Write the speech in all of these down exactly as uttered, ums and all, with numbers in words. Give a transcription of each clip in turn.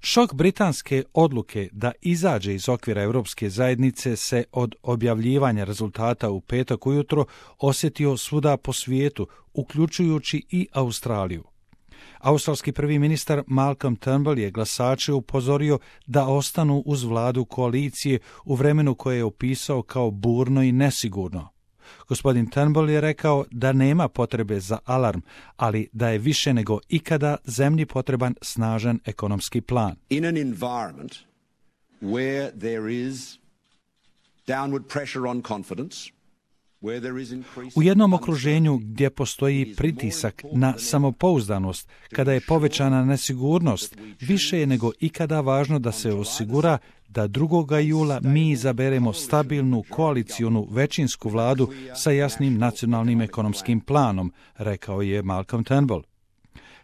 Šok britanske odluke da izađe iz okvira Europske zajednice se od objavljivanja rezultata u petak ujutro osjetio svuda po svijetu, uključujući i Australiju. Australski prvi ministar Malcolm Turnbull je glasače upozorio da ostanu uz vladu koalicije u vremenu koje je opisao kao burno i nesigurno. Gospodin Turnbull je rekao da nema potrebe za alarm, ali da je više nego ikada zemlji potreban snažan ekonomski plan. In an environment where there is downward pressure on confidence, u jednom okruženju gdje postoji pritisak na samopouzdanost, kada je povećana nesigurnost, više je nego ikada važno da se osigura da drugog jula mi izaberemo stabilnu koalicionu većinsku vladu sa jasnim nacionalnim ekonomskim planom, rekao je Malcolm Turnbull.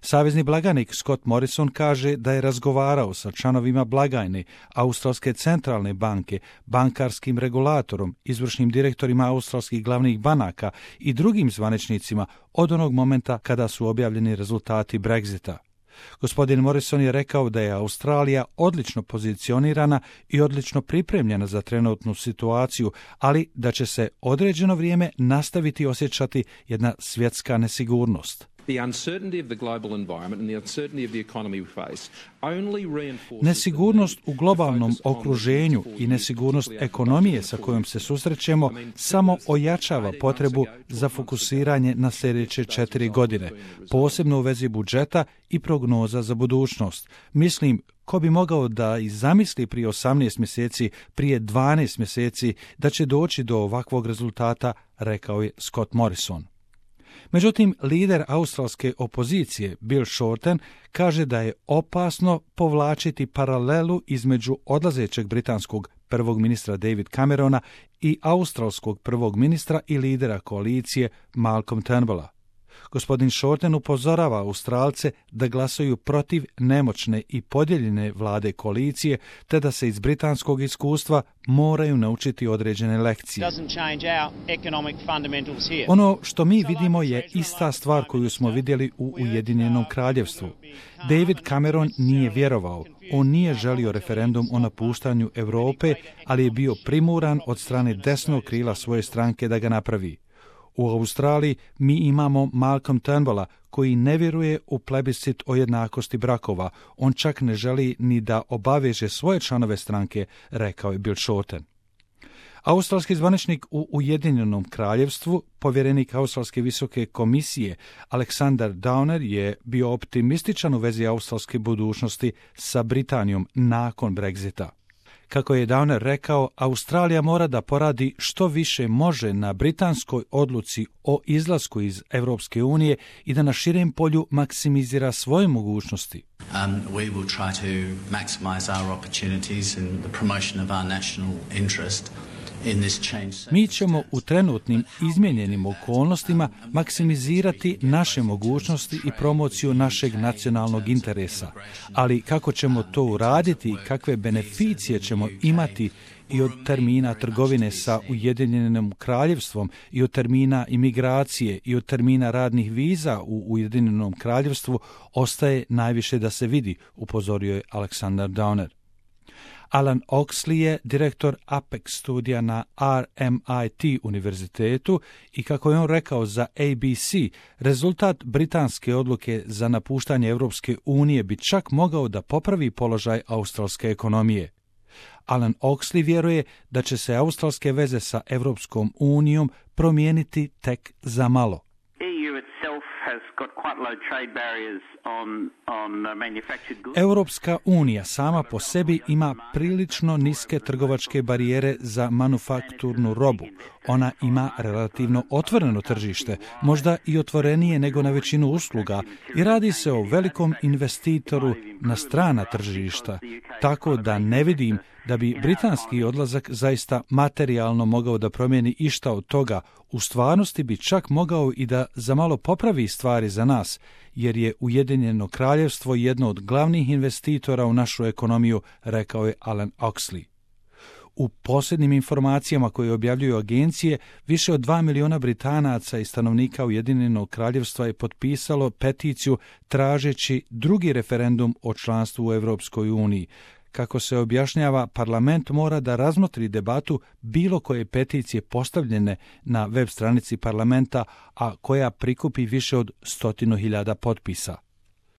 Savezni blagajnik Scott Morrison kaže da je razgovarao sa članovima blagajne, Australske centralne banke, bankarskim regulatorom, izvršnim direktorima australskih glavnih banaka i drugim zvaničnicima od onog momenta kada su objavljeni rezultati Brexita. Gospodin Morrison je rekao da je Australija odlično pozicionirana i odlično pripremljena za trenutnu situaciju, ali da će se određeno vrijeme nastaviti osjećati jedna svjetska nesigurnost. Nesigurnost u globalnom okruženju i nesigurnost ekonomije sa kojom se susrećemo samo ojačava potrebu za fokusiranje na sljedeće četiri godine, posebno u vezi budžeta i prognoza za budućnost. Mislim, ko bi mogao da i zamisli prije osamnaest mjeseci, prije dvanaest mjeseci, da će doći do ovakvog rezultata, rekao je Scott Morrison. Međutim, lider australske opozicije Bill Shorten kaže da je opasno povlačiti paralelu između odlazećeg britanskog prvog ministra David Camerona i australskog prvog ministra i lidera koalicije Malcolm Turnbulla. Gospodin Shorten upozorava Australce da glasaju protiv nemoćne i podijeljene vlade koalicije, te da se iz britanskog iskustva moraju naučiti određene lekcije. Ono što mi vidimo je ista stvar koju smo vidjeli u Ujedinjenom kraljevstvu. David Cameron nije vjerovao. On nije želio referendum o napuštanju Europe, ali je bio primuran od strane desnog krila svoje stranke da ga napravi. U Australiji mi imamo Malcolm Turnbulla koji ne vjeruje u plebiscit o jednakosti brakova. On čak ne želi ni da obaveže svoje članove stranke, rekao je Bill Shorten. Australski zvaničnik u Ujedinjenom kraljevstvu, povjerenik Australske visoke komisije Alexander Downer je bio optimističan u vezi australske budućnosti sa Britanijom nakon Brexita. Kako je Downer rekao, Australija mora da poradi što više može na britanskoj odluci o izlasku iz Europske unije i da na širem polju maksimizira svoje mogućnosti. Um, we will try to maximize our opportunities and the promotion of our national interest. Mi ćemo u trenutnim izmijenjenim okolnostima maksimizirati naše mogućnosti i promociju našeg nacionalnog interesa. Ali kako ćemo to uraditi i kakve beneficije ćemo imati i od termina trgovine sa Ujedinjenim kraljevstvom i od termina imigracije i od termina radnih viza u Ujedinjenom kraljevstvu ostaje najviše da se vidi, upozorio je Alexander Downer. Alan Oxley je direktor Apex studija na R M I T univerzitetu i kako je on rekao za A B C, rezultat britanske odluke za napuštanje Europske unije bi čak mogao da popravi položaj australske ekonomije. Alan Oxley vjeruje da će se australske veze sa Europskom unijom promijeniti tek za malo. Europska unija sama po sebi ima prilično niske trgovačke barijere za manufakturnu robu. Ona ima relativno otvoreno tržište, možda i otvorenije nego na većinu usluga, i radi se o velikom investitoru na strana tržišta, tako da ne vidim da bi britanski odlazak zaista materijalno mogao da promijeni išta od toga. U stvarnosti bi čak mogao i da za malo popravi stvari za nas, jer je Ujedinjeno kraljevstvo jedno od glavnih investitora u našu ekonomiju, rekao je Alan Oxley. U posljednjim informacijama koje objavljuju agencije, više od dva miliona Britanaca i stanovnika Ujedinjenog kraljevstva je potpisalo peticiju tražeći drugi referendum o članstvu u Europskoj uniji. Kako se objašnjava, parlament mora da razmotri debatu bilo koje peticije postavljene na web stranici parlamenta, a koja prikupi više od stotinu hiljada potpisa.